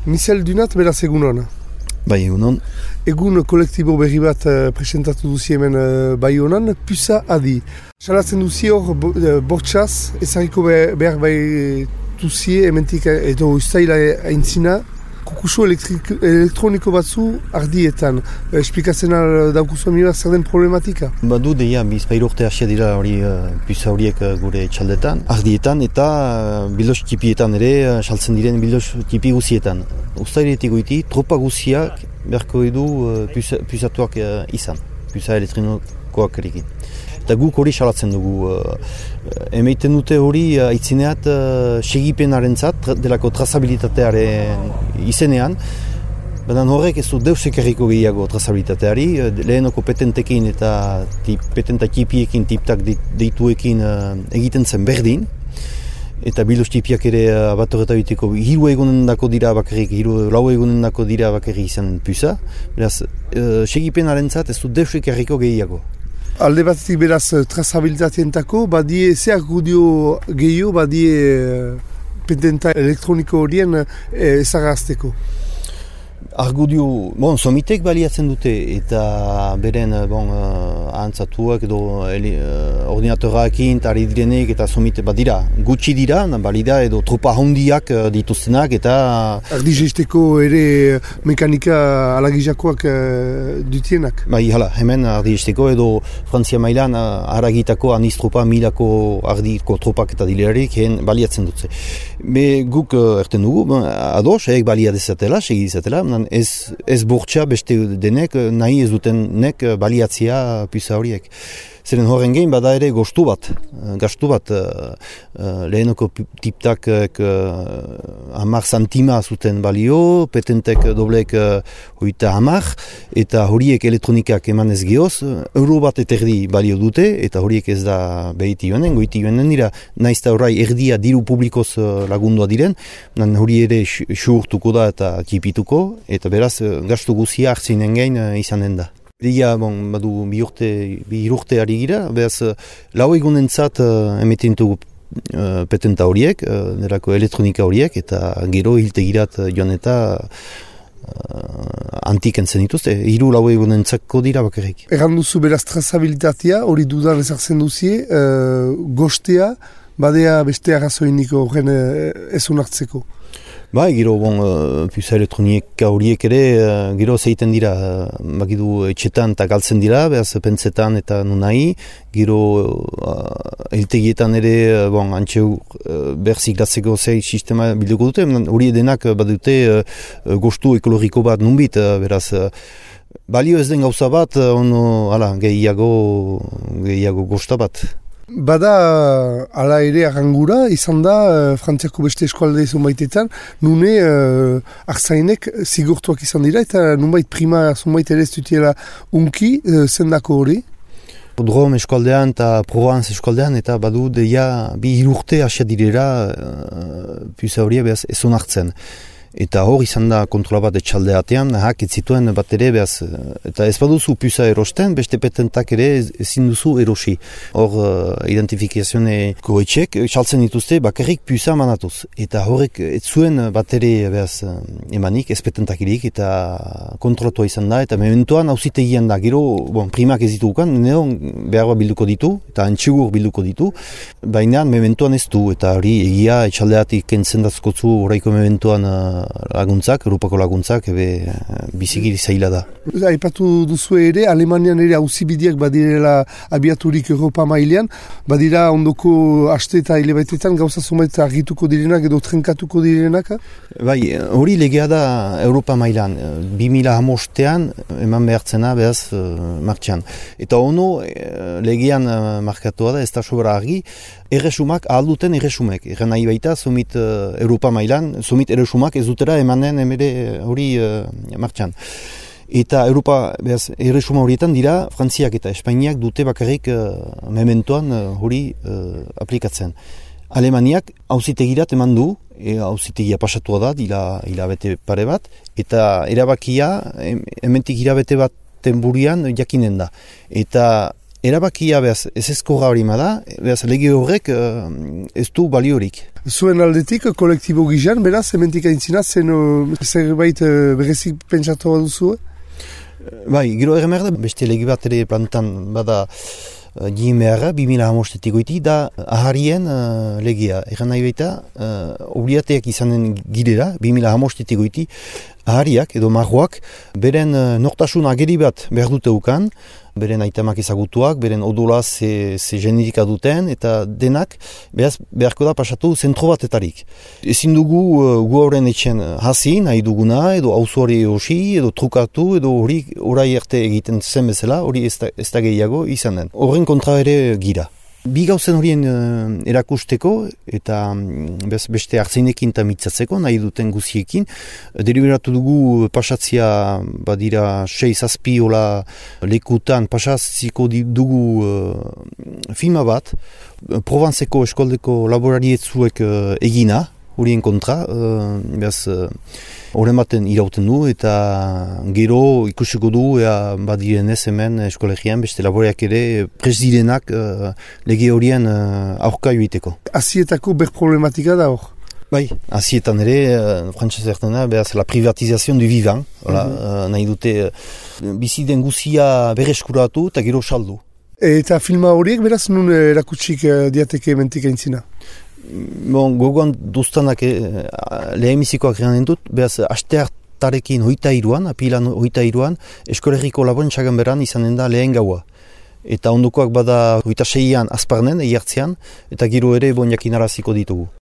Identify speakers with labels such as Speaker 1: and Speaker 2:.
Speaker 1: Michel Dunat, beraz egun hona.
Speaker 2: Bai, egun hon.
Speaker 1: Egun kolektibo berri bat presentatu duzi hemen bai honan, Pusa Adi. Salatzen duzi hor bortxaz, ezagiko behar bai duzie, hementik edo ustaila aintzina, kukusu elektroniko batzu ardietan. Esplikatzen daukuzu amibar zer den problematika?
Speaker 2: Badu deia, bizpahiru urte hasia dira hori Pusa horiek gure txaldetan, ardietan eta bilos tipietan ere, saltzen diren bilos tipi guzietan. Ustailetik goiti, tropa guziak beharko edu pusatuak izan, pusa elektronikoak erikin. Eta guk hori salatzen dugu. Emeiten dute hori aitzineat segipenarentzat delako trazabilitatearen izenean. Baina horrek ez du deus ekarriko gehiago trazabilitateari. Lehenoko petentekin eta petenta tipiekin, tiptak deituekin egiten zen berdin. Eta bilos tipiak ere bat horretabiteko hiru egunen dako dira bakarrik, lau egunen dako dira bakarrik izan pusa. Beraz, segipenarentzat ez du deus ekarriko gehiago.
Speaker 1: Alde batetik beraz trazabilitateentako, badie ze argudio gehiago, badie petenta elektroniko horien ezagazteko.
Speaker 2: Argudio, somitek baliatzen dute eta beren ahantzatuak edo ordinatoraekin eta ari direnek eta somite badira. Gutxi dira, balida edo tropa handiak dituztenak eta...
Speaker 1: Ardizeizteko ere mekanika alagizakoak dutienak?
Speaker 2: Bai, hala, hemen ardizeizteko edo Frantzia mailan haragitako anistropa milako ardiko tropak eta dilerik baliatzen dutze. Guk erten dugu, ados, balia dezatela, segi dezatela, ez bortxa beste denek nahi ez dutenek baliatzia Pusa horiek. Zeren horren gehin bada ere gastu bat lehenoko tiptak 10 santima zuten balio, petentek doblek 30 eta horiek elektronikak eman ez gehoz, euro bat eterdi balio dute eta horiek ez da behiti joanen, goiti joanen dira, naiz eta horrai erdia diru publikoz lagundua diren, hori ere xurtuko da eta tipituko, eta beraz gastu guzia hartzinen gehin izanen da. Egia, badu bi urte ari gira, behaz, lau egunentzat emeten dugu petenta horiek, nerako elektronika horiek, eta gero hiltegirat joan eta antiken zen dituzte, hiru lau egunentzako dira bakarrik.
Speaker 1: Erran duzu beraz trazabilitatea, hori dudan ezartzen duzie, gostea, badea beste arrazoiniko horren ez onartzeko.
Speaker 2: Bai, gero, Pusa elektronika horiek ere, gero zeiten dira, bakidu etxetan eta galtzen dira, behaz pentsetan eta nunai, gero hiltegietan ere, antxeu berzik datzeko zei sistema bilduko dute, hori edenak badute gostu ekologiko bat nunbit, beraz, balio ez den gauza bat, gehiago gosta bat.
Speaker 1: Bada, ala ere arrangura, izan da, Frantziako beste eskualde zunbaitetan, nune arzainek zigortuak izan dira, eta nunbait prima zunbait ere ez dutiela unki, zendako hori?
Speaker 2: Drôme eskualdean eta Provence eskualdean, eta badu deia bi urte asia direra Pusa horia behaz ez onartzen. Eta hor izan da kontrola bat etxaldeatean, ez zituen bat ere, behaz, eta ez baduzu Pusa erosten, beste petentak ere ezin duzu erosi. Hor identifikazioneko etxek, saltzen dituzte, bakarrik Pusa manatuz. Eta horrek ez zuen bat ere behaz, emanik, ez petentakirik, eta kontrolatua izan da, eta mementoan auzitegian da, gero, primak ez ditugukan, behar bilduko ditu, eta antxigur bilduko ditu, baina mementoan ez du, eta hori egia etxaldeatik kentzen dazkotzu horreiko mementoan laguntzak, Europako laguntzak, bizikiri zaila da.
Speaker 1: Aipatu duzu ere, Alemanian ere auzibideak badirela abiaturik Europa mailean, badira ondoko aste eta hilabetetan gauza zumait argituko direnak edo trenkatuko direnak?
Speaker 2: Bai, hori legea da Europa mailan, 2015ean eman behartzena behaz martxan. Eta ono legean markatua da, ez da sobra argi, erresumak ahalduten erresumek. Erren nahi baita, somit Europa mailan, somit erresumak ez dutera emanen emere hori martxan. Eta Europa, erresuma horietan dira, Frantziak eta Espainiak dute bakarrik mementoan hori aplikatzen. Alemaniak auzitegirat eman du, auzitegia pasatua da, hilabete pare bat, eta erabakia, hementik hilabete bat tenburian jakinen da. Eta erabakia ez ezkorra hori ma da, lege horrek ez du baliorik.
Speaker 1: Zuen aldetik, kolektibo gizan, beraz, hementik aintzina, zerbait berezik pentsatu duzu?
Speaker 2: Bai, gero erremer da, beste legi bat ere plantan bada Gimeara, 2005 goiti, da aharien legia. Egan nahi baita, obligateak izanen girera, 2005 goiti, ahariak edo marroak, beren nortasun ageri bat behar dute ukan, beren aitamak ezagutuak, beren odola ze genetika duten, eta denak beharko da pasatu zentro batetarik. Ezin dugu gu horren etxen hasi, nahi duguna, edo auzuari hosi, edo trukatu, edo hori orai arte egiten zen bezala, hori ez da gehiago izanen. Horren kontra ere gira. Bi gauzen horien erakusteko eta beste hartzeinekin eta mitzatzeko, nahi duten guziekin, deliberatu dugu pasatzia badira 6-7 lekutan pasatziko dugu filma bat, Provantzeko eskoldeko laborarietzuek egina, horien kontra, horren baten irauten du, eta gero ikusiko du, badiren ez hemen eskolegian, beste laboreak ere presdirenak lege horien aurka joiteko.
Speaker 1: Azietako ber problematika da hor?
Speaker 2: Bai, azietan ere, frantzaz ertena, behaz, la privatizazion du vivant, nahi dute biziden guzia bereskuratu eta gero saldu.
Speaker 1: Eta filma horiek beraz nun erakutsik diateke mentik aintzina?
Speaker 2: Bon, gogoan duztanak lehemizikoak garen dut, behaz, asteartarekin 23an, apilan 23an, eskolegiko laborantzagan beran izanen da lehen gaua. Eta ondokoak bada 26an azparnen, eiartzean, eta gero ere bon jakinaraziko ditugu.